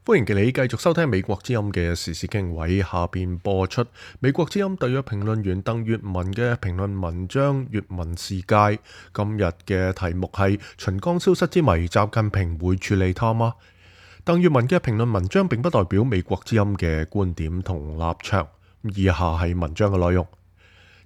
歡迎你繼續收聽美國之音嘅時事經緯，下邊播出美國之音特約評論員鄧粵文嘅評論文章《粵文世界》。今日嘅題目係秦剛消失之謎，習近平會處理他嗎？鄧粵文嘅評論文章並不代表美國之音嘅觀點同立場。以下係文章嘅內容。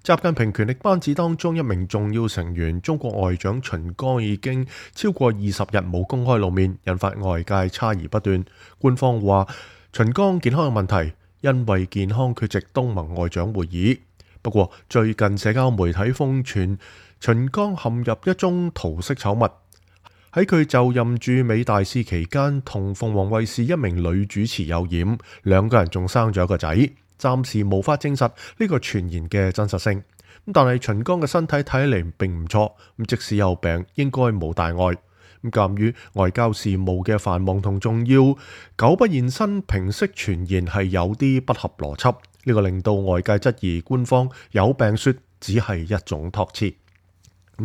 習近平權力班子當中一名重要成員，中國外長秦剛已經超過20日冇公開露面，引發外界猜疑不斷。官方話秦剛健康有問題，因為健康缺席東盟外長會議。不過最近社交媒體瘋傳秦剛陷入一宗桃色醜聞，喺佢就任駐美大使期間，同鳳凰衛視一名女主持有染，兩個人仲生咗一個仔。暫時無法證實呢個傳言嘅真實性，但係秦剛嘅身體睇起嚟並唔錯，即使有病應該冇大礙。鑑於外交事務嘅繁忙同重要，久不現身平息傳言係有啲不合邏輯，呢個令到外界質疑官方有病說只係一種託詞。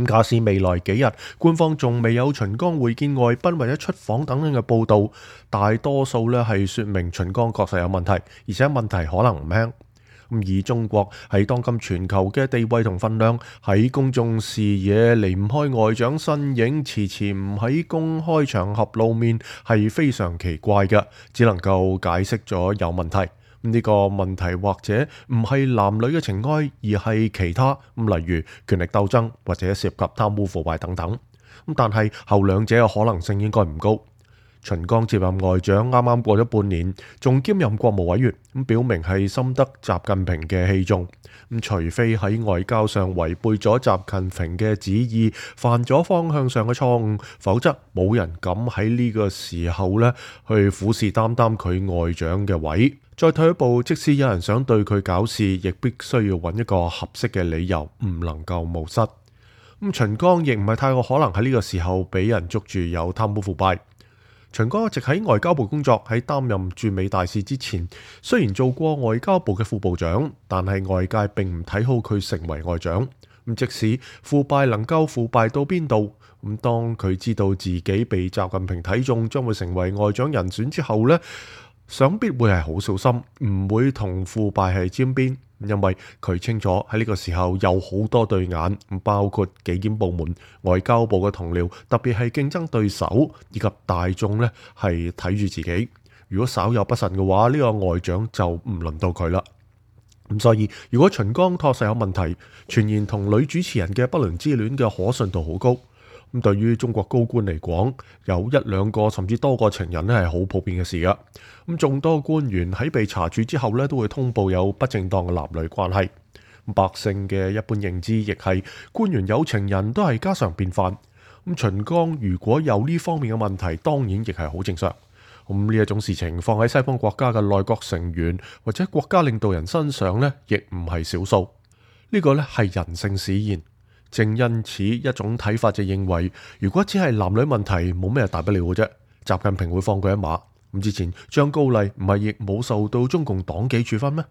假使未來幾日官方仲未有秦剛會見外賓或者出訪等等嘅報道，大多數呢係說明秦剛確實有問題，而且問題可能唔輕。以中國喺當今全球嘅地位同分量，喺公眾視野離唔開外長身影，遲遲唔喺公開場合露面係非常奇怪嘅，只能夠解釋咗有問題。呢個問題或者唔係男女嘅情愛，而係其他，例如權力鬥爭或者涉及貪污腐敗等等。但係後兩者嘅可能性應該唔高。秦剛接任外長啱啱過咗半年，仲兼任國務委員，表明係深得習近平嘅器重。除非喺外交上違背咗習近平嘅旨意，犯咗方向上嘅錯誤，否則冇人敢喺呢個時候呢去虎視眈眈佢外長嘅位。再退一步，即使有人想對佢搞事，亦必須要揾一個合適嘅理由，唔能夠冒失。秦剛亦唔係太過可能喺呢個時候俾人捉住有貪污腐敗。秦剛一直喺外交部工作，喺擔任駐美大使之前，雖然做過外交部嘅副部長，但係外界並唔睇好佢成為外長。即使腐敗能夠腐敗到邊度，當佢知道自己被習近平睇中，將會成為外長人選之後呢，想必會係好小心，唔會同腐敗係沾邊。因為佢清楚喺呢個時候有好多對眼，包括紀檢部門、外交部嘅同僚，特別係競爭對手以及大眾呢係睇住自己。如果稍有不慎嘅話，呢個外長就唔輪到佢啦。所以如果秦剛確實有問題，傳言同女主持人嘅不倫之戀嘅可信度好高。對於中國高官嚟講，有一兩個甚至多個情人呢係好普遍嘅事噶。眾多官員喺被查處之後呢，都會通報有不正當嘅男女關係。百姓嘅一般認知亦係官員有情人都係家常便飯。秦剛如果有呢方面嘅問題，當然亦係好正常。呢一種事情放喺西方國家嘅內閣成員或者國家領導人身上呢，亦唔係少數。呢個呢係人性使然。正因此，一種睇法就認為，如果只係男女問題，冇咩大不了嘅啫，習近平會放佢一馬。之前張高麗唔係亦冇受到中共黨紀處分咩？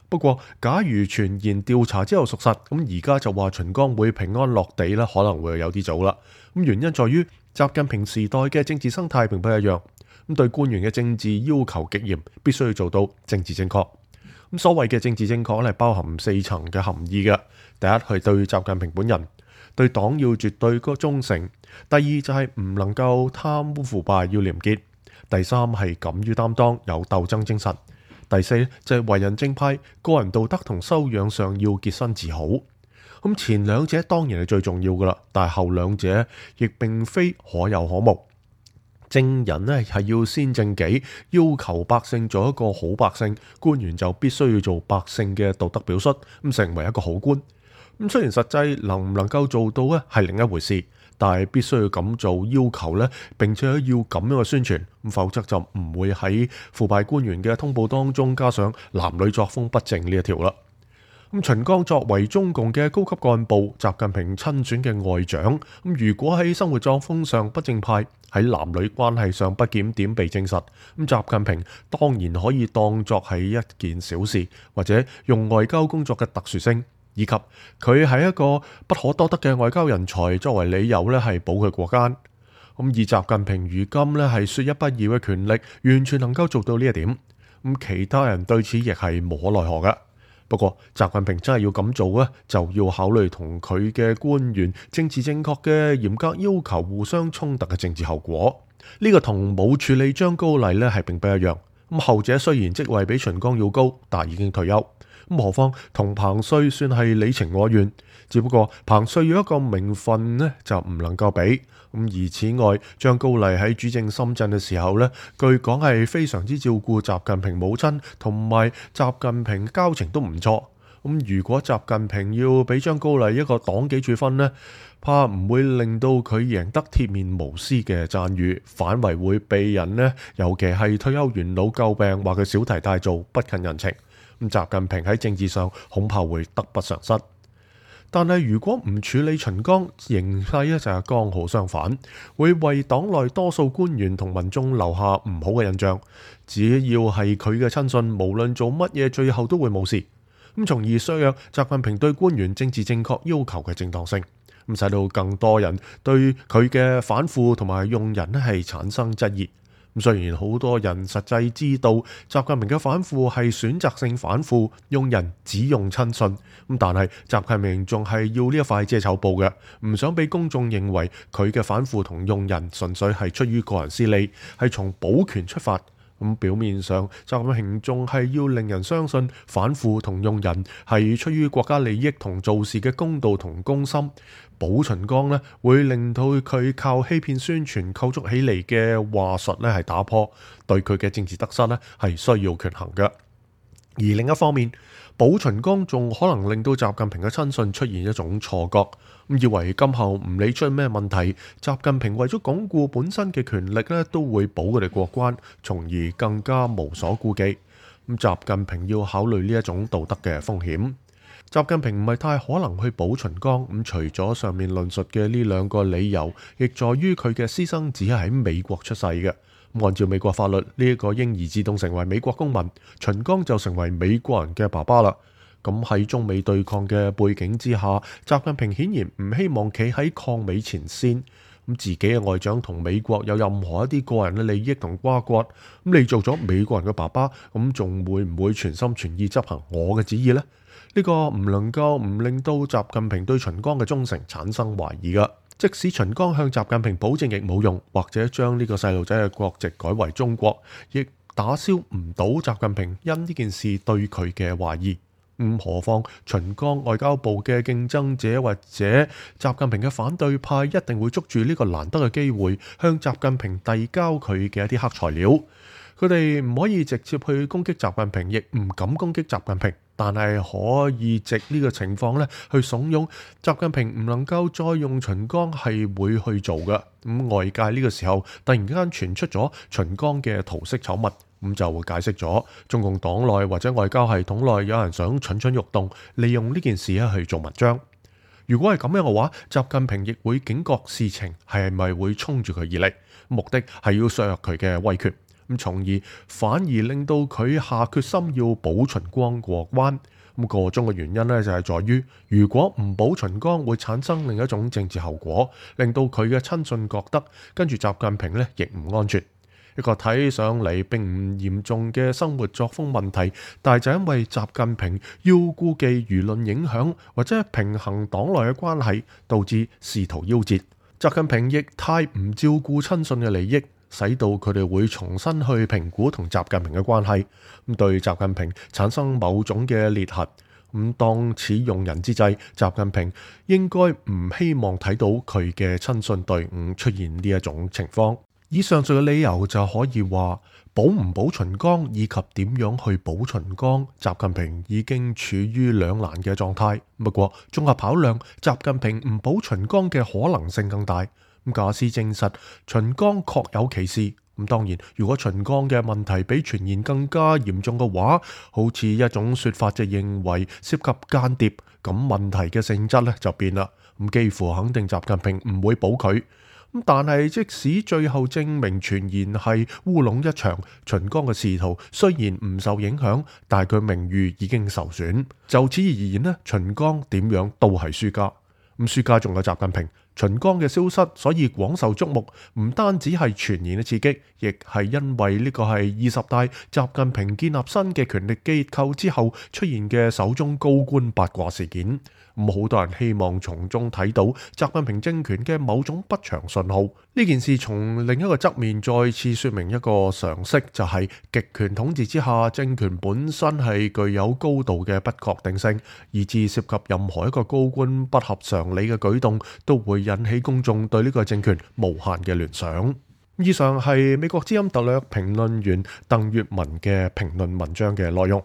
不過，假如傳言調查之後屬實，而家就話秦剛會平安落地咧，可能會有啲早啦。原因在於習近平時代嘅政治生態並不一樣，對官員嘅政治要求極嚴，必須要做到政治正確。所謂嘅政治正確係包含4層嘅含義嘅。第一係對習近平本人，對黨要絕對忠誠；第二就係唔能夠貪污腐敗，要廉潔；第三係敢於擔當，有鬥爭精神；第四就係為人正派，個人道德同修養上要潔身自好。前兩者當然係最重要噶啦，但係後兩者亦並非可有可無。政人呢係要先正己，要求百姓做一個好百姓，官員就必須要做百姓嘅道德表率，成為一個好官。雖然實際能唔能夠做到呢係另一回事，但係必須要咁做要求呢，並且要咁樣嘅宣傳，否則就唔會喺腐敗官員嘅通報當中加上男女作風不正呢一條啦。秦剛作為中共嘅高級幹部，習近平親選嘅外長，如果喺生活作風上不正派，喺男女關係上不檢點被證實，習近平當然可以當作係一件小事，或者用外交工作嘅特殊性，以及佢係一個不可多得嘅外交人才作為理由呢係保佢過關。而習近平如今呢係說一不二嘅權力，完全能夠做到呢一點。其他人對此亦係無可奈何嘅。不過習近平真係要咁做咧，就要考慮同佢嘅官員政治正確嘅嚴格要求互相衝突嘅政治後果。呢個同冇處理張高麗呢係並不一樣。後者雖然職位比秦剛要高，但已經退休。何況同彭帥算係你情我願，只不過彭帥要一個名分呢就唔能夠比。而此外，張高麗喺主政深圳嘅時候呢，據講係非常之照顧習近平母親，同埋習近平交情都唔錯。如果習近平要俾張高麗一個黨紀處分呢，怕唔會令到佢贏得鐵面無私嘅讚譽，反為會被人呢，尤其係退休元老詬病，話佢小題大做，不近人情。習近平喺政治上恐怕會得不償失。但係如果唔處理秦剛，形勢咧就係剛好相反，會為黨內多數官員同民眾留下唔好嘅印象。只要係佢嘅親信，無論做乜嘢，最後都會冇事。從而削弱習近平對官員政治正確要求嘅正當性，使到更多人對佢嘅反腐同埋用人係產生質疑。雖然好多人實際知道習近平嘅反腐係選擇性反腐，用人只用親信，但係習近平仲係要呢一塊遮醜布嘅，唔想俾公眾認為佢嘅反腐同用人純粹係出於個人私利，係從保權出發。表面上習近平仲係要令人相信反腐同用人係出於國家利益同做事嘅公道同公心。保秦剛呢會令到佢靠欺騙宣傳構築起嚟嘅話術呢係打破，對佢嘅政治得失呢係需要權衡嘅。而另一方面，保秦剛仲可能令到習近平嘅親信出現一種錯覺，以為今後唔理出咩問題，習近平為咗鞏固本身嘅權力呢都會保佢哋過關，從而更加無所顧忌。習近平要考慮呢一種道德嘅風險。習近平唔係太可能去保秦剛，除咗上面論述嘅呢兩個理由，亦在於佢嘅私生子係喺美國出世嘅。按照美國法律，呢一個嬰兒自動成為美國公民，秦剛就成為美國人嘅爸爸啦。咁喺中美對抗嘅背景之下，習近平顯然唔希望企喺抗美前線。自己嘅外長同美國有任何一啲個人嘅利益同瓜葛，你做咗美國人嘅爸爸，咁仲會唔會全心全意執行我嘅旨意呢？呢個唔能夠唔令到習近平對秦剛嘅忠誠產生懷疑噶。即使秦剛向習近平保證亦冇用，或者將呢個細路仔嘅國籍改為中國，亦打消唔到習近平因呢件事對佢嘅懷疑。何況秦剛外交部嘅競爭者或者習近平嘅反對派一定會捉住呢個難得嘅機會，向習近平遞交佢嘅一啲黑材料。佢哋唔可以直接去攻擊習近平，亦唔敢攻擊習近平，但係可以藉呢個情況去慫恿習近平唔能夠再用秦剛係會去做嘅。外界呢個時候突然間傳出咗秦剛嘅桃色醜聞，就會解釋咗中共黨內或者外交系統內有人想蠢蠢欲動，利用呢件事去做文章。如果係咁樣嘅話，習近平亦會警覺事情係咪會衝住佢而嚟，目的係要削弱佢嘅威權，從而反而令到佢下決心要保秦剛過關。個中嘅原因呢，就係在於，如果唔保秦剛，會產生另一種政治後果，令到佢嘅親信覺得跟住習近平呢亦唔安全。一個睇上嚟並唔嚴重嘅生活作風問題，但係就因為習近平要顧忌輿論影響或者平衡黨內嘅關係，導致仕途夭折。習近平亦太唔照顧親信嘅利益，使到佢哋會重新去評估同習近平嘅關係，對習近平產生某種嘅裂痕。當此用人之際，習近平應該唔希望睇到佢嘅親信隊伍出現呢一種情況。以上述嘅理由就可以話，保唔保秦剛以及點樣去保秦剛，習近平已經處於兩難嘅狀態。不過綜合考量，習近平唔保秦剛嘅可能性更大。假使證實秦剛確有其事，當然如果秦剛嘅問題比傳言更加嚴重嘅話，好似一種說法就認為涉及間諜，咁問題嘅性質就變啦。幾乎肯定習近平唔會保佢。但係即使最後證明傳言係烏龍一場，秦剛嘅仕途雖然唔受影響，但係佢名譽已經受損。就此而言呢，秦剛點樣都係輸家。輸家仲有習近平，秦剛嘅消失，所以廣受矚目。唔單止係傳言嘅刺激，亦係因為呢個係20大習近平建立新嘅權力機構之後出現嘅首宗高官八卦事件。好多人希望從中睇到習近平政權嘅某種不祥信號。呢件事從另一個側面再次說明一個常識，就係極權統治之下，政權本身係具有高度嘅不確定性，以致涉及任何一個高官不合常理嘅舉動，都會引起公眾對呢個政權無限嘅聯想。以上係美國之音特約評論員鄧粵文嘅評論文章嘅內容。